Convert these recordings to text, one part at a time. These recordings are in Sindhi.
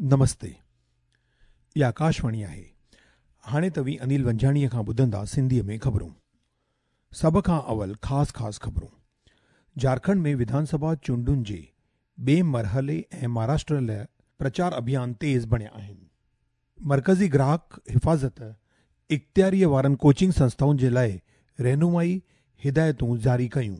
نمستي اها آڪاشواڻي آهي. هاڻي توهين انيل ونجهاڻيء کان ٻڌندا سنڌيء ۾ خبرون. سڀ کان اول خاص خاص خبرون. جهارکنڊ ۾ وڌان سڀا چونڊن جي ٻئي مرحلي ۽ مهاراشٽر لاء پرچار اڀيان تيز بڻيا آهن. مرڪزي گراهڪ حفاظت اختياريء وارن ڪوچنگ سنسٿائن جي لاء رهنمائي هدايتون جاري ڪيون.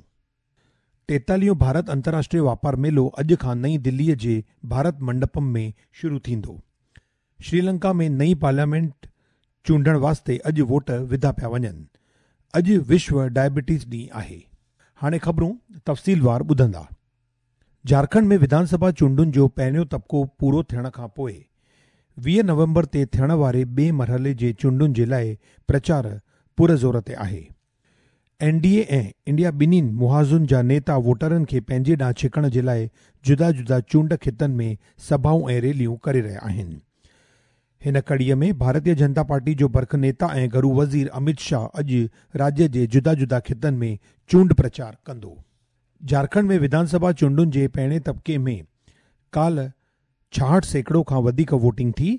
ٽيتاليهون ڀارت انترراشٽريه واپار ميلو اڄ کان نئين دليء جي ڀارت منڊپم ۾ شروع ٿيندو. شريلنڪا ۾ نئين پارليامينٽ چونڊڻ واسطي اڄ ووٽ وڌا پيا وڃن. اڄ وشو ڊائبٽيز ڏينهن آهي. هاڻي خبرون تفصيلوار ٻڌندا. جهارکنڊ ۾ وڌان سڀا چونڊن جو پهريون طبقو پورو ٿيڻ کان پوء 20 نومبر تي ٿيڻ واري ٻئي مرحلي جي چونڊن جي لاء پرچار پر زور تي آهي. اين ڊي اي ۽ انڊيا ٻنهين محاذن جا نيتا ووٽرن کي پنهنجي ڏانهن ڇڪڻ جي لاء جدا جدا چونڊ خطن ۾ سڀائون ۽ ريليون ڪري رهيا آهن. هن ڪڙيء ۾ ڀارتيه جنتا پارٽي جو برک نيتا ۽ گهرو وزير اميت شاهه اڄ راڄ جي جدا جدا خطن ۾ چونڊ پرچار ڪندو. جهارکنڊ ۾ وڌان سڀا چونڊن جي پهرين طبقي ۾ ڪالهه 66% کان وڌيڪ ووٽنگ ٿي.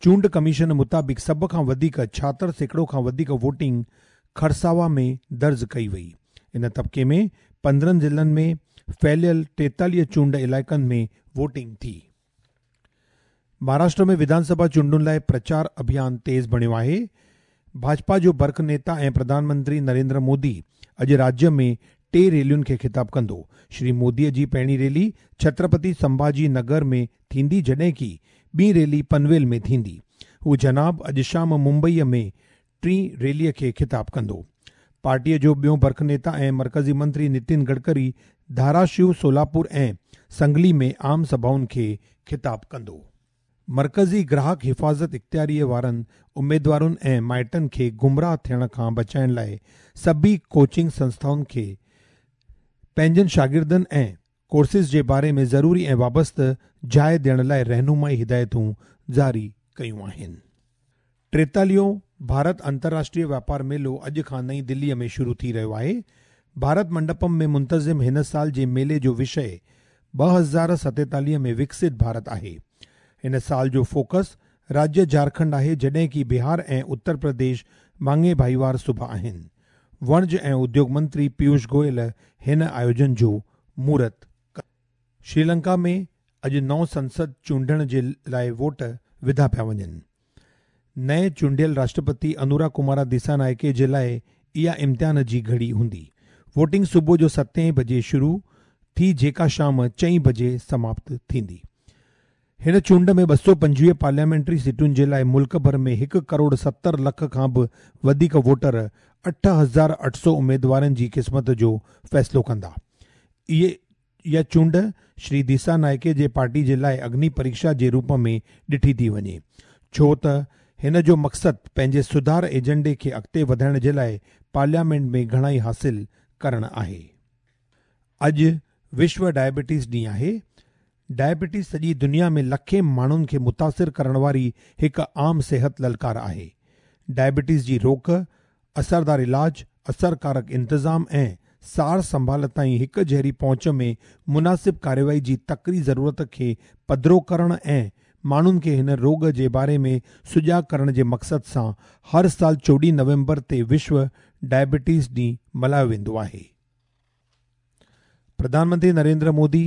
چونڊ ڪميشن مطابق سڀ کان وڌيڪ 76% کان وڌيڪ ووٽنگ کرساوا ۾ درج ڪئي وئي. ان طبقي ۾ 15 ضلعن ۾ ڦهليل 43 چونڊ علائقن ۾ ووٽنگ ٿي. مهاراشٽر ۾ وڌان سڀا چونڊن لاء پرچار اڀيان تيز بڻيو آهي. ڀاجپا جو برک نيتا ۽ پرڌان منتري نريندر مودي اڄ راجيه ۾ ٽي ريلين کي خطاب ڪندو. شري مودي جي پهرين ريلي ڇترپتي سنڀاجي نگر ۾ ٿيندي جڏهن ڪي ٻي ريلي پنويل ۾ ٿيندي. هو جناب اڄ شام ممبئي ۾ ٽين ريلي کي خطاب ڪندو. پارٽيء جو ٻيو برک نيتا ۽ مرڪزي منتري نتين گڊڪري ڌاراشيو، سولاپور ۽ سنگلي ۾ عام سڀائن کي خطاب ڪندو. مرڪزي گراهڪ حفاظت اختياريء وارن اميدوارن ۽ مائٽن کي گمراهه ٿيڻ کان بچائڻ لاء سڀئي ڪوچنگ سنسٿائن کي پنهنجن شاگردن ۽ ڪورسز جي باري ۾ ضروري ۽ وابسته جاء ڏيڻ لاء رهنمائي هدايتون جاري ڪيون آهن. ٽيتاليهون ڀارت انترراشٽريه واپار ميلو اڄ کان نئين دليء ۾ شروع ٿي رهيو آهي. ڀارت منڊپم ۾ منتظم هن سال جي ميلي جو وشيه 2047 ۾ وڪست ڀارت آهي. هن سال جو فوڪس راجيه جهارکنڊ آهي جڏهن ڪي بهار ۽ اتر پرديش ڀاڱي ڀائيوار صوبا آهن. وڻج ۽ اديوگ منتري پيوش گويل هن آيوجن جو مهورت ڪندو. شريلنڪا ۾ اڄ نئون سنسد چونڊڻ جي لاء ووٽ وڌا پيا وڃن. نئين چونڊيل راشٽرپتي انورا ڪمارا ديسانائڪي جي لاء اها امتحان جي گهڙي هوندي. ووٽنگ صبح جو ستين بجي شروع ٿي جيڪا شام چئين بجي سماپت ٿيندي. هن چونڊ ۾ 225 پارليامينٽري سيٽن جي لاء ملڪ ڀر ۾ هڪ ڪروڙ 70 لک کان به وڌيڪ ووٽر 8800 اميدوارن جي قسمت جو فيصلو ڪندا. اهي اها چونڊ شري ديسا نائڪي جي پارٽي جي لاء اگني پريڪشا جي روپ ۾ ڏٺي ٿي وڃي، ڇو ته هن جو مقصد پنهنجي سڌار ايجنڊي کي اڳتي وڌائڻ جي لاء پارليامينٽ ۾ گهڻائي حاصل ڪرڻ آهي. اڄ وشو ڊائبٽيز ڏينهن آهي. ڊائبٽيز سڄي دنيا ۾ لکين ماڻهن کي متاثر ڪرڻ واري هڪ عام صحت للڪار آهي. ڊائبٽيز جي روڪ، اثردار علاج، اثرڪارڪ انتظام ۽ سار سنڀال تائين هڪ جهڙي پهچ ۾ مناسب ڪارروائي جي تڪڙي ضرورت کي پڌرو ڪرڻ ۽ ماڻهن کي هن روڳ جي باري ۾ سجاڳ ڪرڻ جي مقصد سان هر سال 14 نومبر تي وشو ڊائبٽيز ڏينهن ملهايو ويندو آهي. پرڌان منتري نريندر مودي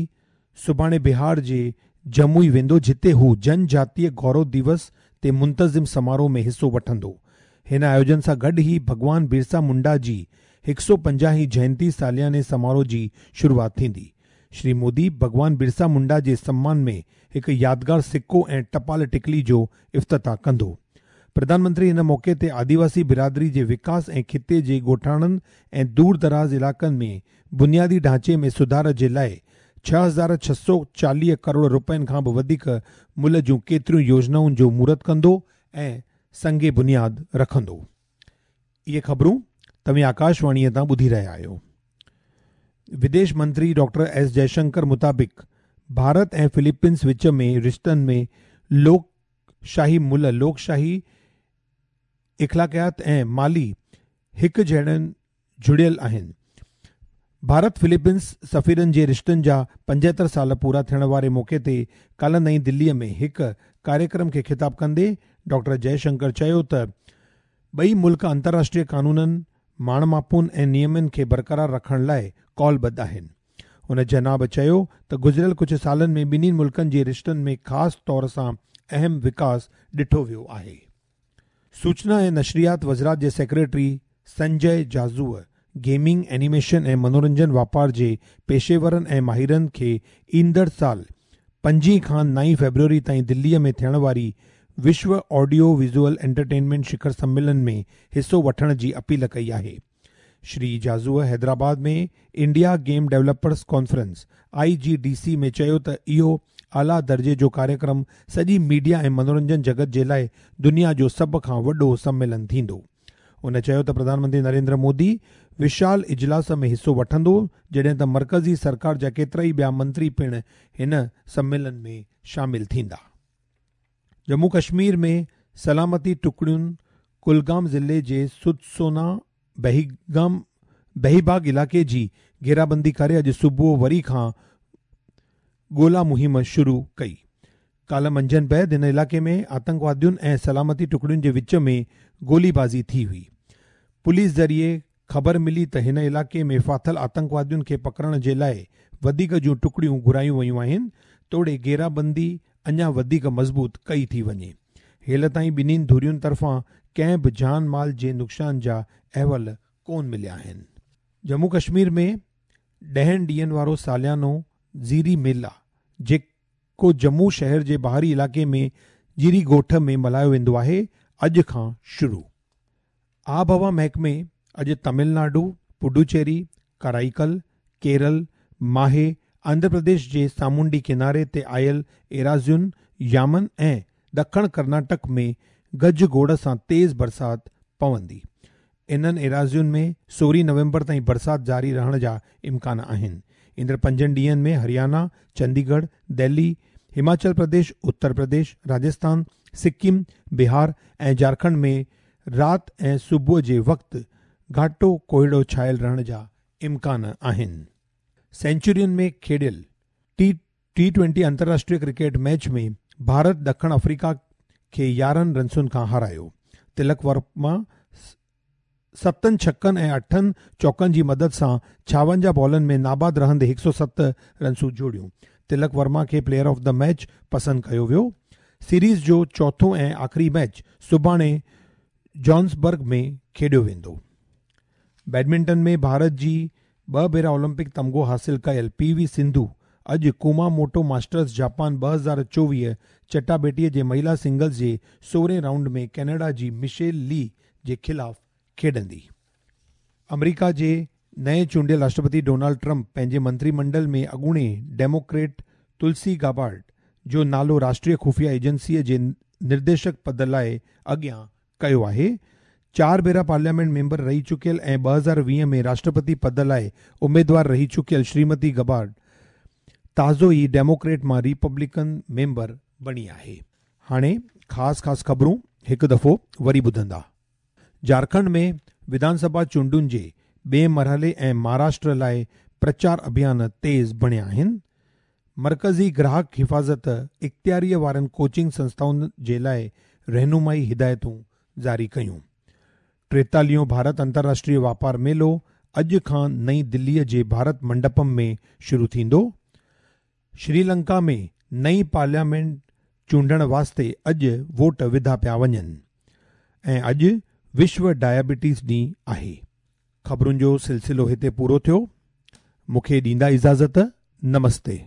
سڀاڻي بهار جي جموئي ويندو جتي هو جن جاتيه گورو ديوس تي منتظم سماروهه ۾ حصو وٺندو. هن آيوجن سان گڏ ئي ڀڳوان برسا منڊا جي 150 هين جينتي سالياني سماروهه جي شروعات ٿيندي. شري مودي ڀڳوان برسا منڊا جي سمان ۾ هڪ يادگار سڪو ۽ ٽپال ٽڪلي جو افتتاح ڪندو. پرڌان منتري ان موقعي تي آديواسي برادري جي وڪاس ۽ خطي جي ڳوٺاڻن ۽ دور دراز علائقن ۾ بنيادي ڍانچي ۾ سڌار جي لاء 6640 ڪروڙ رپين کان به وڌيڪ ملهه جون ڪيتريون يوجنائن جو مهورت ڪندو ۽ سنگ بنياد رکندو. اهي خبرون توهين آڪاشواڻيء تان ٻڌي رهيا آهيو. وديش منتري ڊاڪٽر ايس جئشنڪر مطابق ڀارت ۽ فلپينز وچ ۾ رشتن ۾ لوڪ شاهي ملهه، لوڪ شاهي اخلاقيات ۽ مالي هڪ جهڙن جڙيل آهن. ڀارت فلپينز سفيرن جي رشتن جا 75 سال پورا ٿيڻ واري موقعي تي ڪالهه نئين دلي ۾ هڪ ڪاريڪرم کي خطاب ڪندي ڊاڪٽر جئه شنڪر چيو ته ٻئي ملڪ انترراشٽريه قانونن، ماڻ ماپن ۽ نيمن کي برقرار رکڻ لاء قولبڌ آهن. هن جناب چيو ته گذريل ڪجهه سالن ۾ ٻنهي ملڪن جي رشتن ۾ خاص طور سان اهم وڪاس ڏٺو ويو آهي. سوچنا ۽ نشريات وزارت جي سيڪريٽري سنجي جاجوء گيمنگ، اينيميشن ۽ منورنجن واپار جي پيشيورن ۽ ماهرن کي ايندڙ سال پنجين کان نائين فيبروري تائين دليء ۾ ٿيڻ واري وشو آڊيو ويزوئل انٽرٽينمينٽ شکر سميلن ۾ حصو وٺڻ جي اپيل ڪئي آهي. Shri جاجوء Hyderabad ۾ India game developers conference, I G D C, ۾ چيو ته اهو اعليٰ درجي جو ڪاريڪرم سڄي ميڊيا ۽ منورنجن جڳت جي لاء دنيا جو سڀ کان وڏو سميلن ٿيندو. هن چيو ته پرڌان منتري نريندر مودي وشال اجلاس ۾ حصو وٺندو جڏهن ته مرڪزي سرڪار جا ڪيترائي ٻيا منتري پڻ هن سميلن ۾ شامل ٿيندا. ڄمون ڪشمير ۾ سلامتي ٽڪڙين ڪلگام ضلعي جي سدسونا بهيگام بهيباغ علائقي جي گهيرابندي ڪري اڄ صبح وري کان ڳولا مهم شروع ڪئي. ڪالهه منجهند بعد هن علائقي ۾ آتنڪوادين ۽ سلامتي ٽڪڙين جي وچ ۾ گولي بازي ٿي هئي. پوليس ذريعي خبر ملي ته هن علائقي ۾ ڦاٿل آتنڪوادين کي پڪڙڻ جي لاء وڌيڪ جون ٽڪڙيون گهرايون ويون آهن توڙي گهيرابندي اڃا وڌيڪ مضبوط ڪئي ٿي وڃي. هيل تائين ٻنهين ڌرين طرفان ڪنهن به جان مال جي نقصان جا احوال ڪونه مليا آهن. ڄمون ڪشمير ۾ ڏهن ڏينهن وارو ساليانو زيري ميلا جيڪو ڄمون شهر جي ٻاهري علائقي ۾ زيري ڳوٺ ۾ ملهايو ويندو آهي، اڄ کان شروع. آبهوا محڪمي اڄ تامل ناڊو، پڊوچيري، ڪارائيڪل، ڪيرل، ماهي، آنڌرا پرديش جي سامونڊي ڪناري تي آيل ايراضين، يامن ۽ ڏکڻ ڪرناٽڪ ۾ گج گوڙ سان تيز برسات پوندي. انهن ايراضين ۾ 16 نومبر تائين برسات جاري رهڻ جا امڪان آهن. ايندڙ پنجن ڏينهن ۾ هريانا، چنديڳڙهه، دهلي، هماچل پرديش، اتر پرديش، راجسٿان، سڪم، بهار ۽ جهارکنڊ ۾ رات ۽ صبح جي وقت گهاٽو ڪوهيڙو ڇانيل رهڻ جا امڪان آهن. سينچورين ۾ کيڏيل ٽي ٽي ٽوئنٽي انترراشٽريه ڪرڪيٽ ميچ ۾ ڀارت ڏکڻ آفريڪا کي 11 رنسن کان هارايو. تلڪ ورما ستن ڇڪن ۽ اٺن چوڪن جي مدد سان 56 بالن ۾ ناباد رهندي 107 رنسون جوڙيون. تلڪ ورما کي پليئر آف the match پسند ڪيو ويو. سيريز جو چوٿون ۽ آخري ميچ سڀاڻي جوهانسبرگ ۾ کيڏيو ويندو. بيڊمنٽن ۾ ڀارت جي ٻه ڀيرا اولمپڪ تمغو حاصل ڪيل پي وي سنڌو اڄ ڪوماموٽو ماسٽرز جاپان 2024 چٽاڀيٽي جي مهيلا سنگلز جي سورهين رائونڊ ۾ ڪينيڊا جي مشيل لي جي خلاف کيڏندي. آمريڪا جي نئين چونڊيل راشٽرپتي ڊونالڊ ٽرمپ پنهنجي منتري منڊل ۾ اڳوڻي ڊيموڪريٽ تلسي گابارڊ جو نالو راشٽريه خفيه ايجنسيء جي نرديشڪ پد لاء اڳيان ڪيو آهي. چار ڀيرا پارليامينٽ ميمبر رهي چڪيل ۽ 2020 ۾ راشٽرپتي پد لاء اميدوار رهي چڪيل شريمتي گبارڊ تازو ئي ڊيموڪريٽ مان ريپبلڪن ميمبر بڻي آهي. هاڻي خاص خاص خبرون هڪ دفعو وري ٻڌندا. جهارکنڊ ۾ وڌان سڀا چونڊن جي ٻئي مرحلي ۽ مهاراشٽر لاء پرچار اڀيان تيز بڻيا آهن. مرڪزي گراهڪ حفاظت اختياريء وارن ڪوچنگ سنسٿائن جي لاء رهنمائي هدايتون جاري ڪيون. ٽيتاليهون ڀارت انترراشٽريه واپار ميلو اڄ کان نئين دليء جي ڀارت منڊپم ۾ شروع ٿيندو. شري لنڪا ۾ نئين پارليامينٽ چونڊڻ واسطي اڄ ووٽ وڌا پيا وڃن ۽ اڄ وشو ڊائبيٽيز ڏينهن آهي. خبرن جو سلسلو هتي پورو ٿيو. مون کي ڏيندا اجازت. نمستي.